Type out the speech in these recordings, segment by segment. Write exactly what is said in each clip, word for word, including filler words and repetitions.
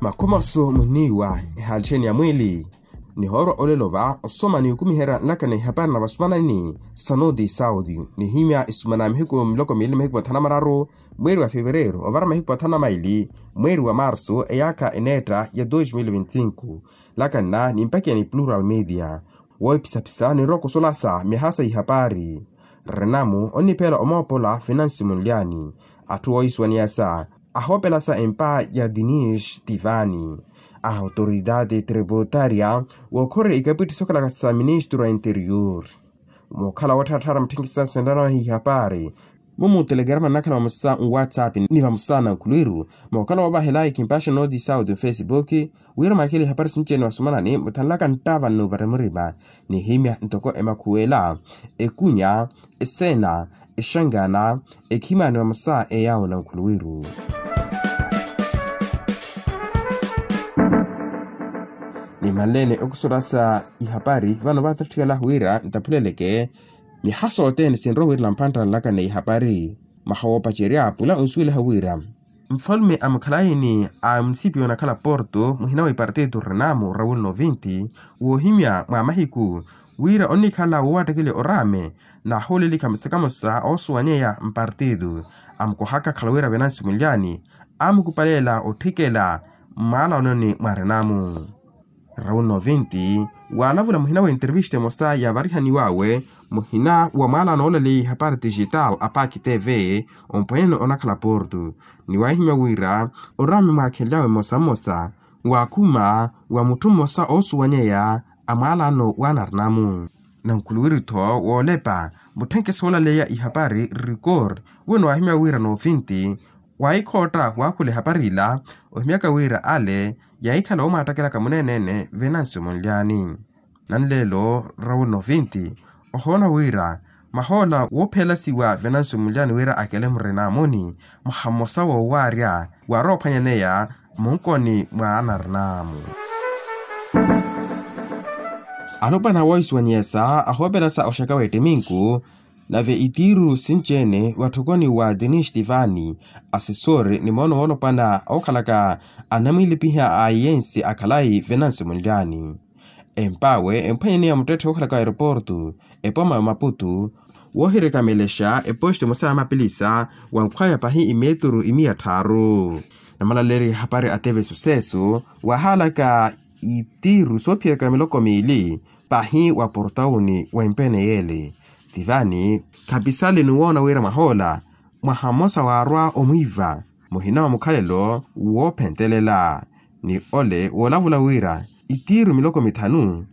Makhumasu munniiwa ehaalitthe ni ya mwiili. Nihoorwa olelo va osoma ni okumiherya nlaka na ihapari na vasumanani sa noti saudi nihimya isumana mihiku miloko miili mahiku mathanu na mararu mweeri wa fevereeru ovara mahiku mathanu na maili mweeri wa marsu eyaakha eneetta ya dos mil vinti cinco. Nlaka nna nimpakiya ni plural media woohipisapisa ninrowa okusolasa myaha sa ihapari. Renamu onniphela omoopola finansi munlyani atthu woohisuwaniyasa ahoopelasa empa ya dinish tivani a autoridade tributaria wookhorerya ikapwitti sookhalaka sa ministru a interior. Mookhala woottharatthara mutthenkisa sentanawe ihapari mumu telegrama nnakhala vamosa nwatsapp ni vamosa na nkhulwiru. Mookhala woovahela ekhimpasha nooti sauti mfesipuki wira mwakhele ihapari sinci-ene vasumanani muthanlaka nttava nnuvari murima nihimya ntoko emakhuwela ekunya eseena exangana ekhimani vamosa eyawo na nkhulwiru. Nimanleene okusolasa ihapari vano vaattatthikalaho wira ntaphuleleke mihaso othene sinrowa wiirela mphanttana nlaka na ihapari. Mwaha woopacerya pula onsuweliha wira nfalume a mukhalayini a munisipiyo onakhala porto muhina wa ipartito renamu raul novinti woohimya mwa mahiku wira onnikhala woowattakeliwa oraame naahuulelikha musakamosa oosuwanyeya mpartito amukohaka akhala wira venansi munlyani amukupalela otthikela mmwaalanoni mwa renamu. Raul novinti waalavula muhina wa enterevista emosa yaavarihaniw'awe muhina wa mwaalaano oolaleya ihapari tixitaal a paki tv ompweene onakhala porto ni waahimya wira oraame mwaakhenly'awe mmosa mmosa waakhuma wa mutthu mmosa oosuwanyeya a mwaalaano w'anarinamu. Na nkhuluwiri-tho woolepa mutthenkeso oolaleya ihapari rikor wino waahimya wira novinti waahikhootta waakhula ehapari ila ohimyaka wira ale yaahikhala woomwaattakilaka muneenene venansi munlyani. Nanleelo raul novinti ohoona wira mahoola woophelasiwa venansi munlyani wira akele murinamuni mwaha mmosa woowaarya waarowa ophwanyaneya munkoni mwa anarinamu. Alopwana woohisuwanyeyesa ahoopelasa oxaka w'ettiminku nave itiiru sinci-ene watthokoni wa dinish tivani asesori ni moono woolopwana ookhalaka anamwiilipiha a iyensi akhalayi venansi munlyani. Emp'awe emphwanyaneya muttetthe wookhalaka aeroporto epoma ya maputu woohirekamelexa eposto emosa ya mapilisa wankhwaya pahi imeturu imiya tthaaru. Namalaleerya ehapari a tv sucesso waahaalaka itiiru soophiyaka miloko miili pahi wa portawuni wa empeene y'ele. Tivani khapisale ni woona wira mwahoola mwaha mmosa waarwa omwiiva muhina wa mukhalelo woophentelela ni ole woolavula wira itiiru miloko mithanu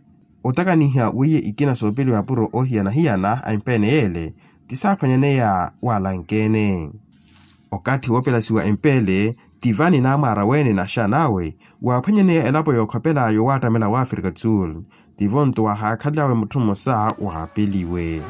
otakaniha weiye ikina soopeliwa mapuro oohiyana-hiyana a empeene y'ele ti saaphwanyaneya waalanke-ene. Okathi woopelasiwa empeele tivani naamwaara weene naxan'awe waaphwanyaneya elapo yookhopela yowaattamela wa afrika do sul. Tivo-nto waahakhalel'awe mutthu mmosa waapeliwe.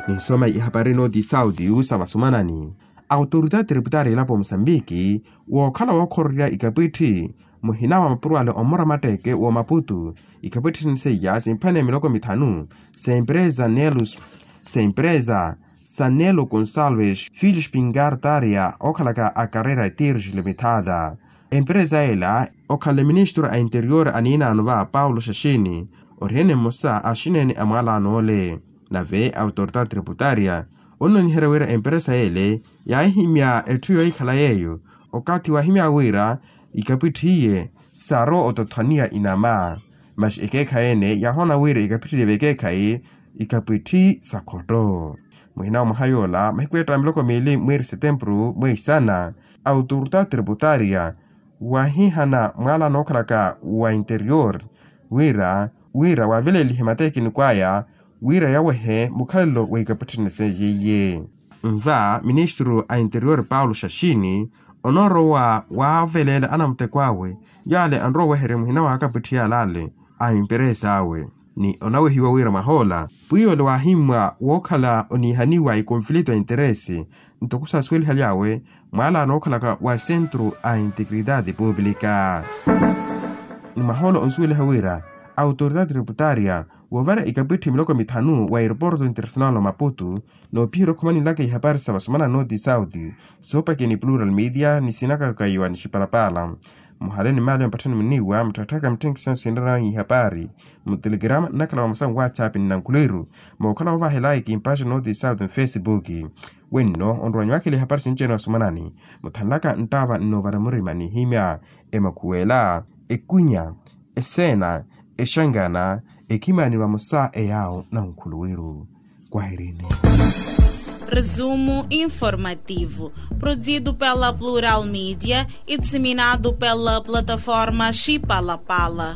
Ninsoma ihapari nooti sauti sa vasumanani autoridade tributaria elapo musambiki wookhala wookhorerya ikapwitthi muhina wa mapuro ale omura matteeke wa maputu ikapwitthi sini seiya simphwaneya miloko mithanu sempresa nelus sempresa sanelo gonsalves filhos pingartaria ookhalaka a carrera tirge limitada. Empresa ela okhanle ministru a interior aniinaano va paulo xaxini orihene mmosa a axinene a mwaalaano ole. Nave autoridade tributaria onnoniherya wira empresa ele yaahihimya etthu yoohikhala yeeyo okathi waahimya wira ikapwitthi iye sarowa otothwaniya inama. Masi ekeekhayi ene yaahoona wira ikapwitthi ile vekeekhayi ikapwitthi sa khotto. Muhina wa mwaha yoola mahiku eetta miloko miili mweeri setempuru mweisana autoridade tributaria waahihana mwaala nookhalaka wa interior wira wira waavelelihe matekiniko aya wira yawehe mukhalelo wa ikapwitthi sene seiye. Nva ministru a interior paulo xaxini onoorowa waaveleela anamuteko awe yaale anrowa oweherya muhina wa akapwitthi yaale ale a emperesa awe ni onawehiwa wira mwahoola pwiya ole waahimmwa wookhala oniihaniwa ikonflito a interesi ntoko saasuwelihaly'awe mwaalaano ookhalaka wa centro a integridade publica. Ni mwahoola onsuweliha wira autoridade tributaria woovara ikapwitthi miloko mithanu wa aeroporto international wa maputu. Noophiyerya okhumaninlaka ihapari sa vasumana north south, soopakeni plural media ni sinakaka iwa ni xipalapala. Muhale ni maali ya mpatthani muniiwa mutthakatthaka mitthenkisana sinrana ihapari mu telegrama nnakhala vamosa nwatsap ni nankhuleiru mookhala woovahela ikimpaxa north south nfacebook. Wenno onrowanyiwakela ihapari sinci-ene vasumanani muthanlaka nttaava nnoovara murima nihimya emakhuwela, ekunya, eseena, exangana, ekhimani vamosa eyaawo nankhuluwiru. Kwahirini. Resumo informativo, produzido pela Plural Media e disseminado pela plataforma Chipalapala.